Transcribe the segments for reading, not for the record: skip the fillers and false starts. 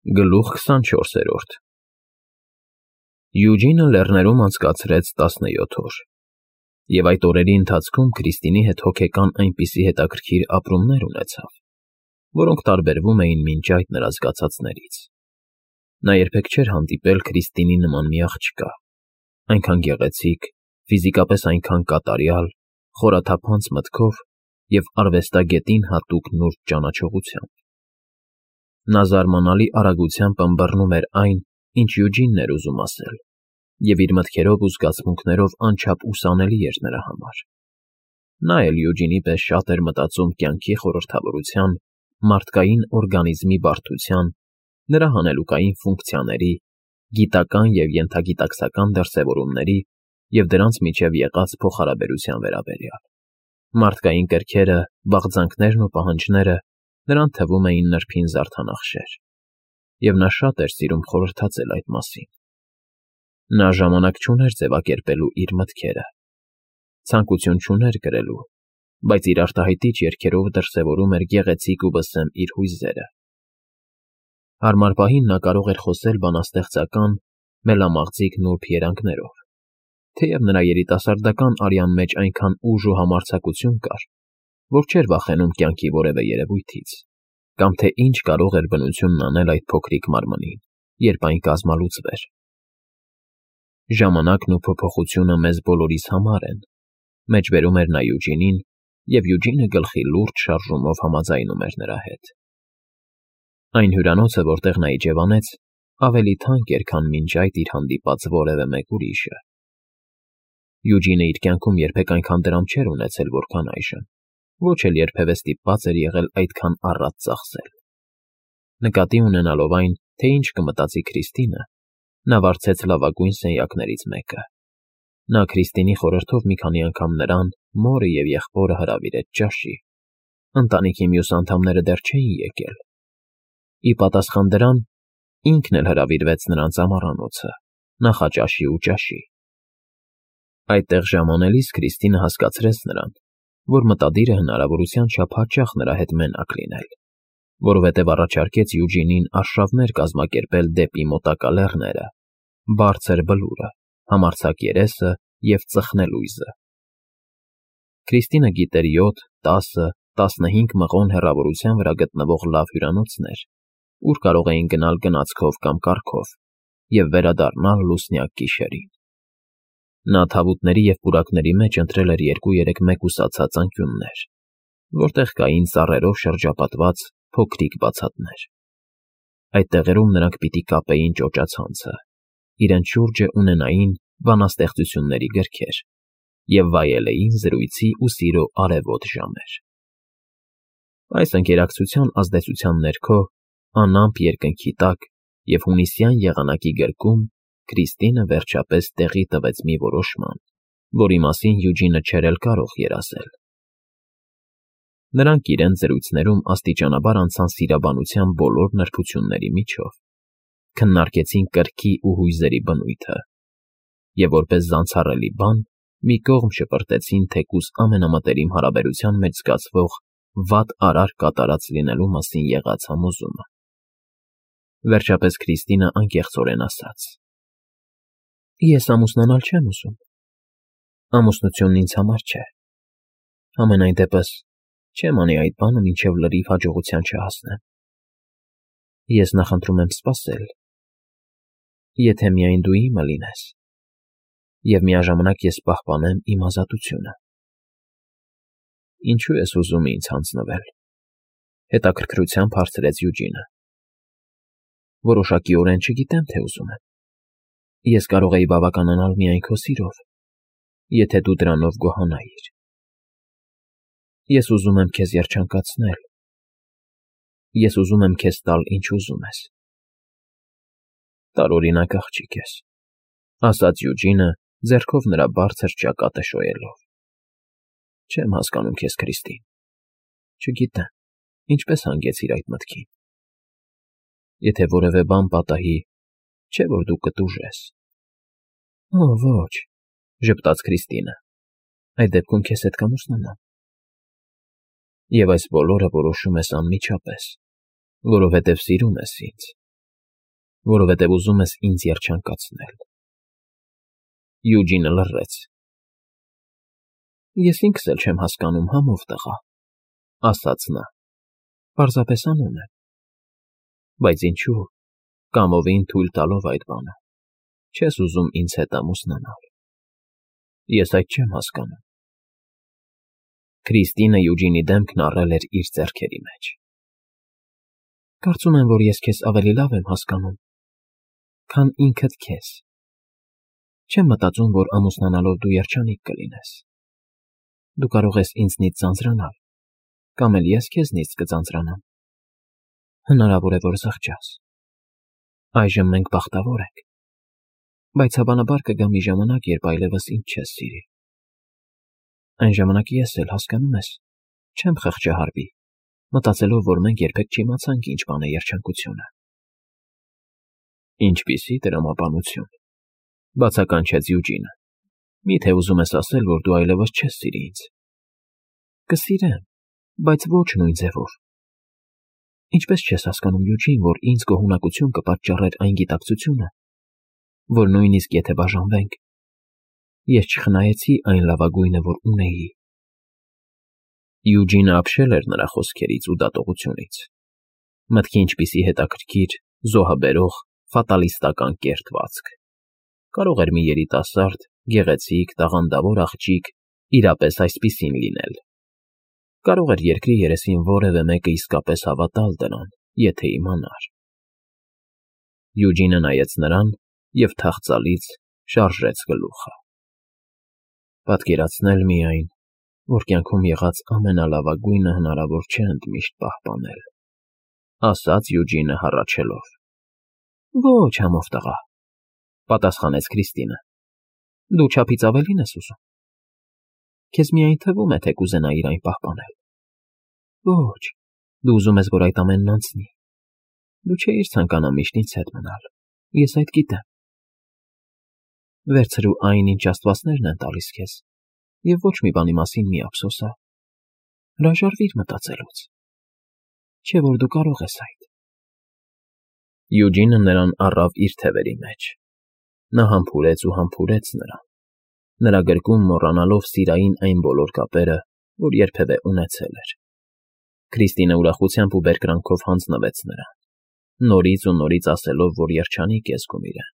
Գլուխ 24 Յուջինը լեռներում անցկացրեց 17 օր, և այդ օրերի ընթացքում Քրիստինի հետ հոգեկան այնպիսի հետաքրքիր ապրումներ ունեցավ, որոնք տարբերվում էին մինչ այդ նրա զգացածներից։ Նա երբեք չէր հանդիպել Քրիստինի նման մի աղջկա, այնքան գեղեցիկ, ֆիզիկապես այնքան կատարյալ, խորաթափանց մտքով և արվեստագետին հատուկ նուրբ ճանաչողությամբ։ Նա զարմանալի արագությամբ ըմբռնում էր այն, ինչ Յուջինն էր ուզում ասել, և իր մտքերով ու զգացմունքներով անչափ ուսանելի էր նրա համար։ Նա էլ Յուջինի պես շատ էր մտածում կյանքի խորհրդավորության, մարդկային օրգանիզմի բարդության, նրա հանելուկային ֆունկցիաների, գիտական և ենթագիտակցական դրսևորումների և դրանց միջև եղած փոխհարաբերության վերաբերյալ։ Մարդկային կրքերը, բաղձանքներն ու պահանջները նրան թվում էին նրբին զարդանախշեր, և նա շատ էր սիրում խորհրդածել այդ մասին։ Նա ժամանակ չուներ ձևակերպելու իր մտքերը, ցանկություն չուներ գրելու, բայց իր արտահայտիչ երգերով դրսևորում էր գեղեցիկ ու վսեմ իր հույզերը։ Հարմար պահին նա կարող էր խոսել բանաստեղծական, մելամաղձիկ նուրբ երանգներով, թեև նրա երիտասարդական արյան մեջ այնքան ուժ ու համարձակություն կար, որ չէր վախենում կյանքի որևէ երևույթից, կամ թե ինչ կարող էր բնությունն անել այդ փոքրիկ մարմնին, երբ այն կազմալուծվեր։ Ժամանակն ու փոփոխությունը մեզ բոլորիս համար են, մեջբերում էր նա Յուջինին, և Յուջինը գլխի լուրջ շարժումով համաձայնում էր նրա հետ։ Այն հյուրանոցը, որտեղ նա իջևանեց, ավելի թանկ էր, քան մինչ այդ իր հանդիպած որևէ մեկ ուրիշը։ Յուջինը իր կյանքում երբեք այնքան դրամ չէր ունեցել, որքան այժմ, ոչ էլ երբևէ ստիպված էր եղել այդքան առատ ծախսել։ Նկատի ունենալով այն, թե ինչ կմտածի Քրիստինը, նա վարձեց լավագույն սենյակներից մեկը։ Նա Քրիստինի խորհրդով մի քանի անգամ նրան, մորը և եղբորը հրավիրեց ճաշի։ Ընտանիքի մյուս անդամները դեռ չէին եկել։ Ի պատասխան դրան, ինքն էլ հրավիրվեց նրանց ամառանոցը, նախաճաշի ու ճաշի։ Այդտեղ ժամանելիս Քրիստինը հասկացրեց նրան, որ մտադիր է հնարավորության չափ հաճախ նրա հետ մենակ լինել, որովհետև առաջարկեց Յուջինին արշավներ կազմակերպել դեպի մոտակա լեռները, բարձր բլուրը, համարձակ երեսը և ծխնելույզը։ Քրիստինը գիտեր 7, 10, 15 մղոն հեռավորության վրա գտնվող լավ հյուրանոցներ, ուր կարող էին գնալ գնացքով կամ կառքով և վերադառնալ լուսնյակ գիշերին։ Նա թավուտների և պուրակների մեջ ընտրել էր 2-3 մեկուսացած անկյուններ, որտեղ կային ծառերով շրջապատված փոքրիկ բացատներ։ Այդ տեղերում նրանք պիտի կապեին ճոճացանցը, իրենց շուրջը ունենային բանաստեղծությունների գրքեր և վայելեին զրույցի ու սիրո արևոտ ժամեր։ Այս ընկերակցության ազդեցության ներքո, անամպ երկնքի տակ և հունիսյան եղանակի գրկում Քրիստինը վերջապես տեղի տվեց մի որոշման, որի մասին Յուջինը չէր էլ կարող երազել։ Նրանք իրենց զրույցներում աստիճանաբար անցան սիրաբանության բոլոր նրբությունների միջով, քննարկեցին կրքի ու հույզերի բնույթը և որպես զանցառելի բան մի կողմ շպրտեցին թեկուզ ամենամտերիմ հարաբերության մեջ զգացվող վատ արար կատարած լինելու մասին եղած համոզումը։ Վերջապես Քրիստինը անկեղծորեն ասաց. «Ես ամուսնանալ չեմ ուզում։ Ամուսնությունն ինձ համար չէ։ Համենայն դեպս չեմ անի այդ բանը, մինչև լրիվ հաջողության չհասնեմ։ Ես նախընտրում եմ սպասել, եթե միայն դու իմը լինես, և միաժամանակ ես պահպանեմ իմ ազատությունը»։ Ինչո՞ւ ես ուզում ինձ հանձնվել, հետաքրքրությամբ հարցրեց Յուջինը։ Որոշակիորեն չգիտեմ, թե ուզում եմ։ Ես կարող էի բավականանալ միայն քո սիրով, եթե դու դրանով գոհանայիր։ Ես ուզում եմ քեզ երջանկացնել։ Ես ուզում եմ քեզ տալ, ինչ ուզում ես։ Տարօրինակ աղջիկ ես, ասաց Յուջինը, ձեռքով նրա բարձր ճակատը շոյելով։ Չեմ հասկանում քեզ, Քրիստին։ Չգիտեմ, ինչպես հանգեցիր այդ մտքին։ Եթե որևէ բան պատահի, չէ՞ որ դու կտուժես։ Օ, ոչ, ժպտաց Քրիստինը։ Այդ դեպքում քեզ հետ կամուսնանամ։ Եվ այս բոլորը որոշում ես անմիջապես, որովհետև սիրում ես ինձ, որովհետև ուզում ես ինձ երջանկացնել։ Յուջինը լռեց։ Ես ինքս էլ չեմ հասկանում, համով տղա, ասաց նա, պարզապես անում եմ։ Բայց ինչու, կամովին թույլ տալով այդ բանը, չես ուզում ինձ հետ ամուսնանալ։ Ես այդ չեմ հասկանում։ Քրիստինը Յուջինի դեմքն առել էր իր ձեռքերի մեջ։ Կարծում եմ, որ ես քեզ ավելի լավ եմ հասկանում, քան ինքդ քեզ։ Չեմ մտածում, որ ամուսնանալով դու երջանիկ կլինես։ Դու կարող ես ինձնից ձանձրանալ, կամ էլ ես քեզնից կձանձրանամ։ Հնարավոր է, որ զղջաս։ Այժմ մենք բախտավոր ենք, բայց հավանաբար կգա մի ժամանակ, երբ այլևս ինձ չես սիրի։ Այն ժամանակ ես էլ, հասկանում ես, չեմ խղճահարվի, մտածելով, որ մենք երբեք չիմացանք ինչ բան է երջանկությունը։ Ինչպիսի տրամաբանություն, բացականչեց Յուջինը։ Միթե ուզում ես ասել, որ դու այլևս չես սիրի ինձ։ Կսիրեմ, բայց ոչ նույն ձևով։ Ինչպես չես հասկանում, Յուջին, որ ինձ գոհունակություն կպատճառեր այն գիտակցությունը, որ նույնիսկ եթե բաժանվենք, ես չխնայեցի այն լավագույնը, որ ունեի։ Յուջինը ապշել էր նրա խոսքերից ու դատողությունից։ Մտքի ինչպիսի հետաքրքիր, զոհաբերող, ֆատալիստական կերտվածք։ Կարող էր մի երիտասարդ, գեղեցիկ, տաղանդավոր աղջիկ իրապես այսպիսին լինել։ Կարող էր երկրի երեսին որևէ մեկը իսկապես հավատալ դրան, եթե իմանար։ Յուջինը նայեց նրան և թախծալից շարժեց գլուխը։ Պատկերացնել միայն, որ կյանքում եղած ամենալավագույնը հնարավոր չէ ընդմիշտ պահպանել, ասաց Յուջինը հառաչելով։ Ոչ, համով տղա, պատասխանեց Քրիստինը։ Դու չափից ավելին ես ուզում։ Քեզ միայն թվում է, թե կուզենայիր այն պահպանել։ Ոչ, դու ուզում ես, որ այդ ամենն անցնի։ Դու չէիր ցանկանա միշտ ինձ հետ մնալ, ես այդ գիտեմ։ Վերցրու այն, ինչ աստվածներն են տալիս քեզ, և ոչ մի բանի մասին մի ափսոսա։ Հրաժարվիր մտածելուց։ Չէ՞ որ դու կարող ես այդ։ Յուջինը նրան առավ իր թևերի մեջ։ Նա համբուրեց ու համբուրեց նրան, նրա գրկում մոռանալով սիրային այն բոլոր կապերը, որ երբևէ ունեցել էր։ Քրիստինը ուրախությամբ ու բերկրանքով հանձնվեց նրան, նորից ու նորից ասելով, որ երջանիկ է զգում իրեն։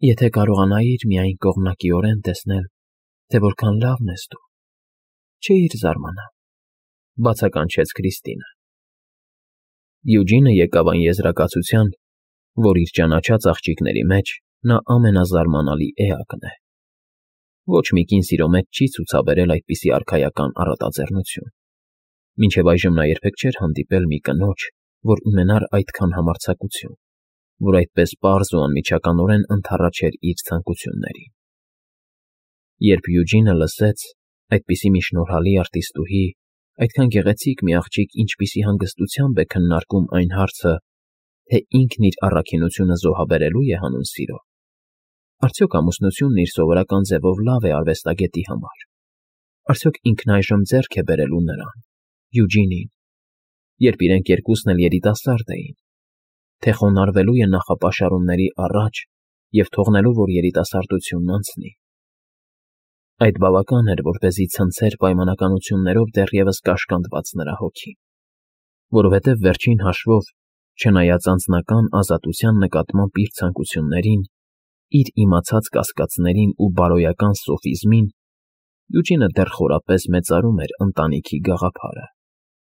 Եթե կարողանայիր միայն կողմնակիորեն տեսնել, թե որքան լավն ես դու, չէիր զարմանա, բացականչեց Քրիստինը։ Յուջինը եկավ այն եզրակացության, որ իր ճանաչած աղջիկների մեջ նա ամենազարմանալի էակն է։ Ոչ մի կին սիրո մեջ չի ցուցաբերել այդպիսի արքայական առատաձեռնություն։ Մինչև այժմ նա երբեք չէր հանդիպել մի կնոջ, որ ունենար այդքան համարձակություն, որ այդպես պարզ ու անմիջականորեն ընդառաջեր իր ցանկություններին։ Երբ Յուջինը լսեց այդպիսի մի շնորհալի արտիստուհի, այդքան գեղեցիկ մի աղջիկ ինչպիսի հանգստությամբ է քննարկում այն հարցը, թե ինքն իր առաքինությունը զոհաբերելու է հանուն սիրո, արդյոք ամուսնությունն իր սովորական ձևով լավ է արվեստագետի համար, արդյոք ինքն այժմ ձեռք է բերելու նրան, Յուջինին, երբ իրենք երկուսն էլ երիտասարդ էին, թե խոնարհվելու է նախապաշարումների առաջ և թողնելու, որ երիտասարդությունն անցնի։ Այդ բավական էր, որպեսզի ցնցեր պայմանականություններով դեռևս կաշկանդված նրա հոգին, որովհետև վերջին հաշվով, չնայած անձնական ազատության նկատմամբ իր ցանկություններին, իր իմացած կասկածներին ու բարոյական սոֆիզմին, Յուջինը դեռ խորապես մեծարում էր ընտանիքի գաղափարը,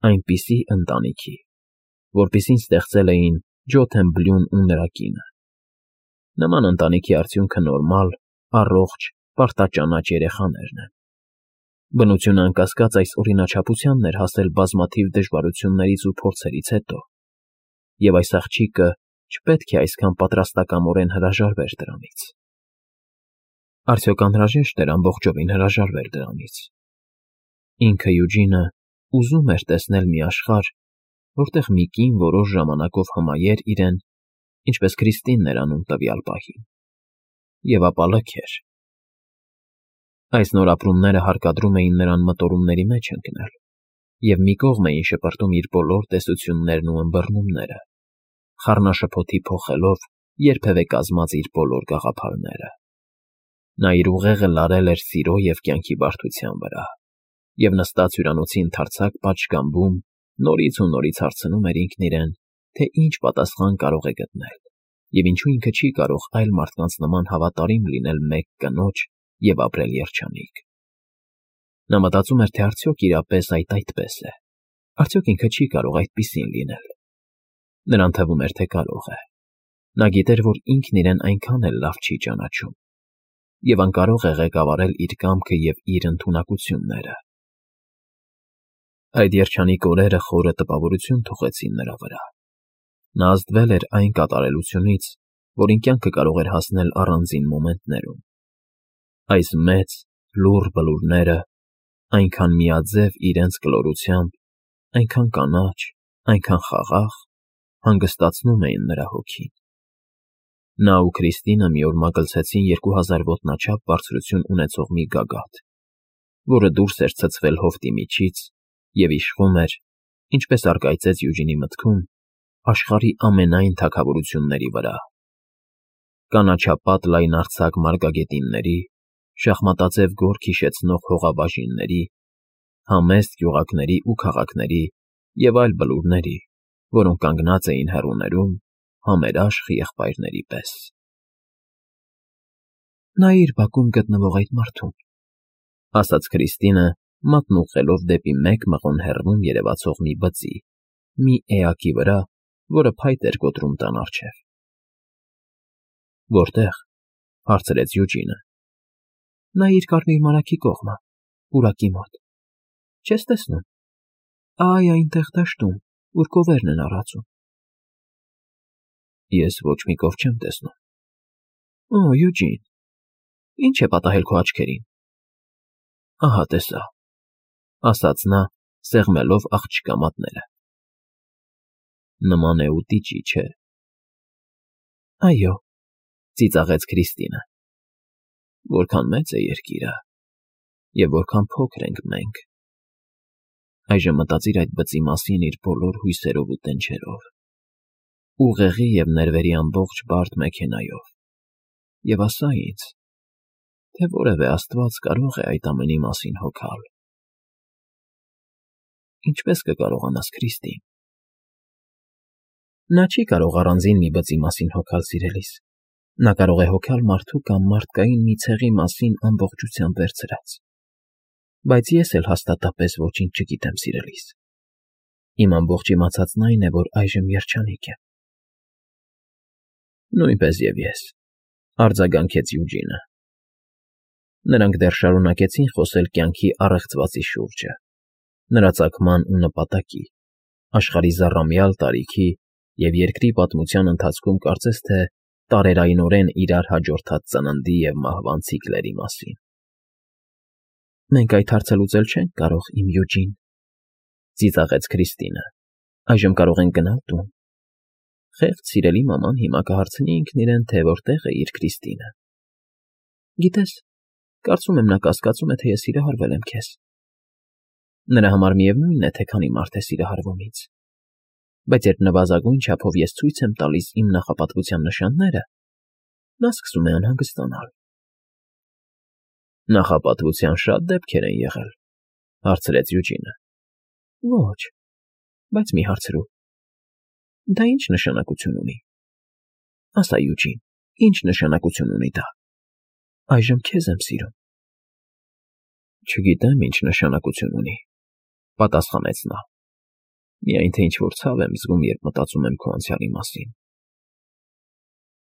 այնպիսի ընտանիքի, որպիսին ստեղծել էին Ջոթեն Բլյուն ու նրա կինը։ Նման ընտանիքի արդյունքը նորմալ, առողջ, պարտաճանաչ երեխաներն են։ Բնությունը անկասկած այս օրինաչափությանն էր հասել բազմաթիվ դժվարություններից ու փորձերից հետո, և այս աղջիկը չպետք է այսքան պատրաստակամորեն հրաժարվեր դրանից։ Արդյոք անհրաժեշտ էր ամբողջովին հրաժարվել դրանից։ Ինքը Յուջինը ուզում էր տեսնել մի աշխարհ, որտեղ մի կին որոշ ժամանակով հմայեր իրեն, ինչպես Քրիստինն էր անում տվյալ պահին, և ապա լքեր։ Այս նոր ապրումները հարկադրում էին նրան մտորումների մեջ ընկնել, և մի կողմ էին շպրտում իր բոլոր տեսություններն ու ըմբռնումները, խառնաշփոթի փոխելով երբևէ կազմած իր բոլոր գաղափարները։ Նա իր ուղեղը լարել էր սիրո և կյանքի բարդության վրա, և նստած հյուրանոցի ընդարձակ պատշգամբում նորից ու նորից հարցնում էր ինքն իրեն, թե ինչ պատասխան կարող է գտնել, և ինչու ինքը չի կարող այլ մարդկանց նման հավատարիմ լինել մեկ կնոջ և ապրել երջանիկ։ Նա մտածում էր, թե արդյոք իրապես այդպես է, արդյոք ինքը չի կարող այդպիսին լինել։ Նրան թվում էր, թե կարող է։ Նա գիտեր, որ ինքն իրեն այնքան էլ լավ չի ճանաչում, և անկարող է ղեկավարել իր կամքը և իր ընդունակությունները։ Այդ երջանիկ օրերը խորը տպավորություն թողեցին նրա վրա։ Նա ազդվել էր այն կատարելությունից, որին կյանքը կարող էր հասնել առանձին մոմենտներում։ Այս մեծ, լուռ բլուրները, այնքան միաձև իրենց կլորությամբ, այնքան կանաչ, այնքան խաղաղ, հանգստացնում էին նրա հոգին։ Նա ու Քրիստինը մի օր մագլցեցին 2000 ոտնաչափ բարձրություն ունեցող մի գագաթ, որը դուրս էր ցցվել հովտի միջից և իշխում էր, ինչպես առկայծեց Յուջինի մտքում, աշխարհի ամենայն թագավորությունների վրա։ Կանաչապատ լայնարձակ մարգագետինների, շախմատաձև գորգ հիշեցնող հողաբաժինների, համեստ գյուղակների ու քաղաքների և այլ բլուրների, որոնք կանգնած էին հեռուներում, համերաշխ եղբայրների պես։ «Նայիր բակում գտնվող այդ մարդուն», ֊ ասաց Քրիստինը, մատն ուղղելով դեպի մեկ մղոն հեռվում երևացող մի բծի, մի էակի վրա, որը փայտ էր կոտրում տան առջև։ «Որտե՞ղ», ֊ հարցրեց Յուջինը։ «Նայիր կարմիր մարագի կողմը, պուրակի մոտ։ Չես տեսնում։ Այ այնտեղ դաշտում, ուր կովերն են առածում»։ Ես ոչ մի կով չեմ տեսնում։ Օ, Յուջին, ի՞նչ է պատահել քո աչքերին։ Ահա տեսա, ասաց նա, սեղմելով աղջկա մատները։ Նման է ուտիճի, չէ։ Այո, ծիծաղեց Քրիստինը։ Որքան մեծ է երկիրը, և որքան փոքր ենք մենք։ Այժմ մտածիր այդ բծի մասին իր բոլոր հույսերով ու տենչերով, ուղեղի և ներվերի ամբողջ բարդ մեքենայով, և ասա ինձ, թե որևէ աստված կարող է այդ ամենի մասին հոգալ։ Ինչպե՞ս կկարողանաս, Քրիստին։ Նա չի կարող առանձին մի բծի մասին հոգալ, սիրելիս։ Նա կարող է հոգալ մարդու կամ մարդկային մի ցեղի մասին ամբողջությամբ վերցրած։ Բայց ես էլ հաստատապես ոչինչ չգիտեմ, սիրելիս։ Իմ ամբողջ իմացածն այն է, որ այժմ երջանիկ եմ։ Նույնպես և ես, արձագանքեց Յուջինը։ Նրանք դեռ շարունակեցին խոսել կյանքի առեղծվածի շուրջը, նրա ծագման ու նպատակի, աշխարհի զառամյալ տարիքի և երկրի պատմության ընթացքում կարծես թե տարերայնորեն իրար հաջորդած ծննդի և մահվան ցիկլերի մասին։ Մենք այդ հարցը լուծել չենք կարող, իմ Յուջին, ծիծաղեց Քրիստինը։ Այժմ կարող ենք գնալ տուն։ Խեղճ սիրելի մաման հիմա կհարցնի ինքն իրեն, թե որտեղ է իր Քրիստինը։ Գիտես, կարծում եմ նա կասկածում է, թե ես սիրահարվել եմ քեզ։ Նրա համար միևնույն է, թե քանի մարդ է սիրահարվում ինձ։ Բայց երբ նվազագույն չափով ես ցույց եմ տալիս իմ նախապատվության նշանները, նա սկսում է անհանգստանալ։ Նախապատվության շատ դեպքեր են եղել, հարցրեց Յուջինը։ Ոչ, բայց մի հարցրու։ Դա ինչ նշանակություն ունի։ Ասա, Յուջին, ինչ նշանակություն ունի դա։ Այժմ քեզ եմ սիրում։ Չգիտեմ, ինչ նշանակություն ունի, պատասխանեց նա։ Միայն թե ինչ-որ ցավ եմ զգում, երբ մտածում եմ քո անցյալի մասին։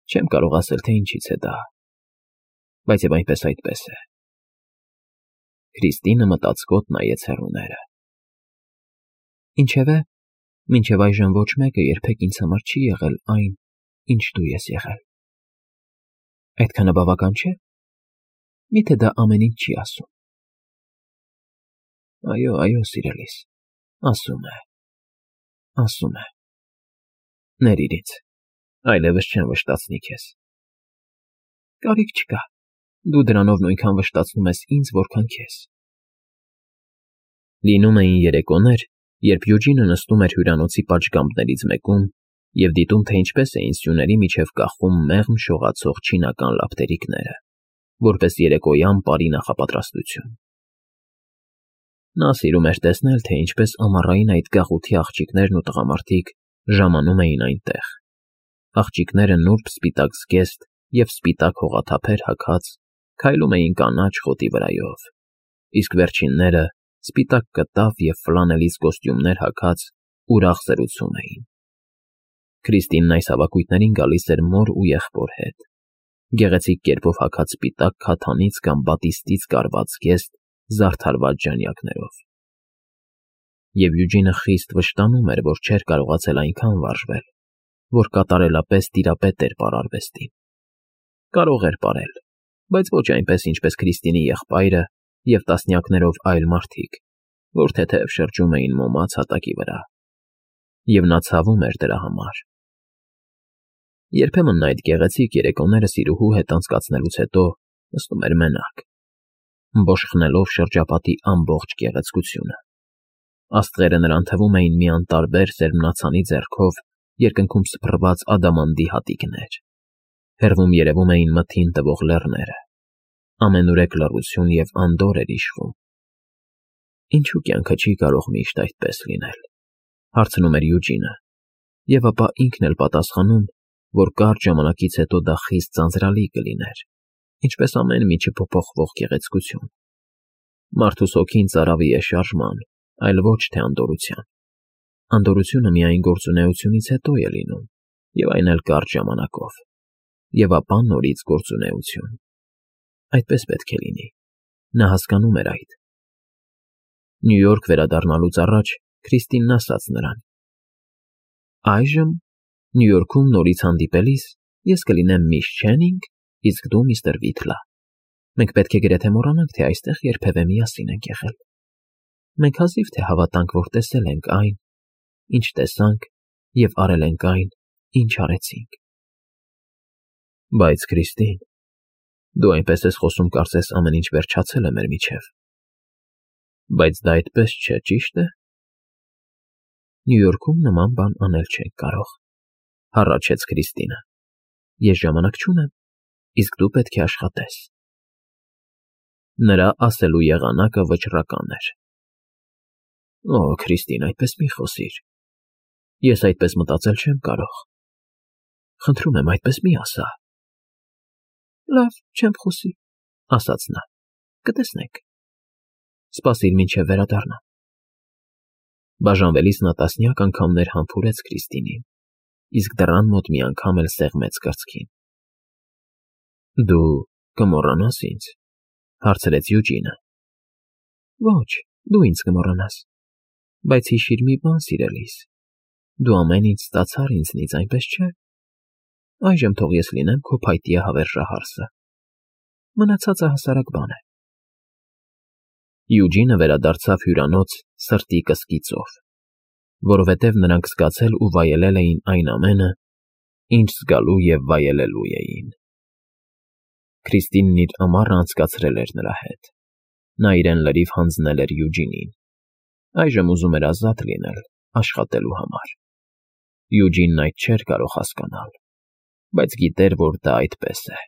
Չեմ կարող ասել, թե ինչից է դա, բայց և այնպես այդպես է։ Քրիստինը մտածկոտ նայեց հեռուները։ Ինչևէ, մինչև այժմ ոչ մեկը երբեք ինձ համար չի եղել այն, ինչ դու ես եղել։ Այդքանը բավական չէ։ Միթե դա ամեն ինչ չի ասում։ Այո, այո, սիրելիս, ասում է, ասում է։ Ներիր ինձ, այլևս չեմ վշտացնի քեզ։ Կարիք չկա, դու դրանով նույնքան վշտացնում ես ինձ, որքան քեզ։ Լինում էին երեկոներ, երբ Յուջինը նստում էր հյուրանոցի պատշգամբներից մեկում և դիտում, թե ինչպես էին սյուների միջև կախում մեղմ շողացող չինական լապտերիկները, որպես երեկոյան պարի նախապատրաստություն։ Նա սիրում էր տեսնել, թե ինչպես ամառային այդ գաղութի աղջիկներն ու տղամարդիկ ժամանում էին այնտեղ, աղջիկները նուրբ սպիտակ զգեստ և սպիտակ հողաթափեր հագած քայլում էին կանաչ խոտի վրայով, իսկ վերջինները սպիտակ կտավ և ֆլանելից կոստյումներ հագած ուրախ զրուցում էին։ Քրիստինն այս հավաքույթներին գալիս էր մոր ու եղբոր հետ, գեղեցիկ կերպով հագած սպիտակ քաթանից կամ բատիստից կարված զգեստ զարդարված ժանյակներով։ Եվ Յուջինը խիստ վշտանում էր, որ չէր կարողացել այնքան վարժվել, որ կատարելապես տիրապետ էր պարարվեստին։ Կարող էր պարել, բայց ոչ այնպես, ինչպես Քրիստինի եղբայրը և տասնյակներով այլ մարդիկ, որ թեթև շրջում էին մոմած հատակի վրա, և նա ցավում էր դրա համար։ Երբեմն նա այդ գեղեցիկ երեկոները սիրուհու հետ անցկացնելուց հետո նստում էր մենակ, բոշխնելով շրջապատի ամբողջ գեղեցկությունը։ Աստղերը նրան թվում էին մի անտարբեր սերմնացանի ձեռքով երկնքում սփռված ադամանդի հատիկներ, հեռվում երևում էին մթին տվող լեռները, ամենուրեք լռություն և անդորր էր իշխում։ Ինչու կյանքը չի կարող միշտ այդպես լինել, հարցնում էր Յուջինը, և ապա ինքն էլ պատասխանում, որ կարճ ժամանակից հետո դա խիստ ձանձրալի կլիներ, ինչպես ամեն մի չփոփոխվող գեղեցկություն։ Մարդուս հոգին ծարավի է շարժման, այլ ոչ թե անդորրության։ Անդորրությունը միայն գործունեությունից հետո է լինում, և այն էլ կարճ ժամանակով, և ապա նորից գործունեություն։ Այդպես պետք է լինի։ Նա հասկանում էր այդ։ Նյու Յորք վերադառնալուց առաջ Քրիստինն ասաց նրան. «Այժմ Նյու Յորքում նորից հանդիպելիս ես կլինեմ միս Չենինգ, իսկ դու միստր Վիթլա։ Մենք պետք է գրեթե մոռանանք, թե այստեղ երբևէ միասին ենք եղել։ Մենք հազիվ թե հավատանք, որ տեսել ենք այն, ինչ տեսանք, և արել ենք այն, ինչ արեցինք»։ Բայց Քրիստին, դու այնպես ես խոսում, կարծես ամեն ինչ վերջացել է մեր միջև։ Բայց դա այդպես չէ, ճի՞շտ է։ Նյու Յորքում նման բան անել չենք կարող, հառաչեց Քրիստինը։ Ես ժամանակ չունեմ, իսկ դու պետք է աշխատես։ Նրա ասելու եղանակը վճռական էր։ Օ, Քրիստին, այդպես մի խոսիր։ Ես այդպես մտածել չեմ կարող։ Խնդրում եմ, այդպես մի ասա։ Լավ, չեմ խոսի, ասաց նա։ Կտեսնենք։ Սպասիր մինչև վերադառնամ։ Բաժանվելիս նա տասնյակ անգամներ համբուրեց Քրիստինին, իսկ դռան մոտ մի անգամ էլ սեղմեց կրծքին։ Դու կմոռանա՞ս ինձ, հարցրեց Յուջինը։ Ոչ, դու ինձ կմոռանաս, բայց հիշիր մի բան, սիրելիս, դու ամեն ինչ ստացար ինձնից, այնպես չէ։ Այժմ թող ես լինեմ քո փայտյա հավերժահարսը։ Մնացածը հասարակ բան է։ Յուջինը վերադարձավ հյուրանոց սրտի կսկիծով, որովհետև նրանք զգացել ու վայելել էին այն ամենը, ինչ զգալու և վայելելու էին։ Քրիստինն իր ամառը անցկացրել էր նրա հետ։ Նա իրեն լրիվ հանձնել էր Յուջինին։ Այժմ ուզում էր ազատ լինել, աշխատելու համար։ Յուջինն այդ չէր կարող հասկանալ, բայց գիտեր, որ դա այդպես է։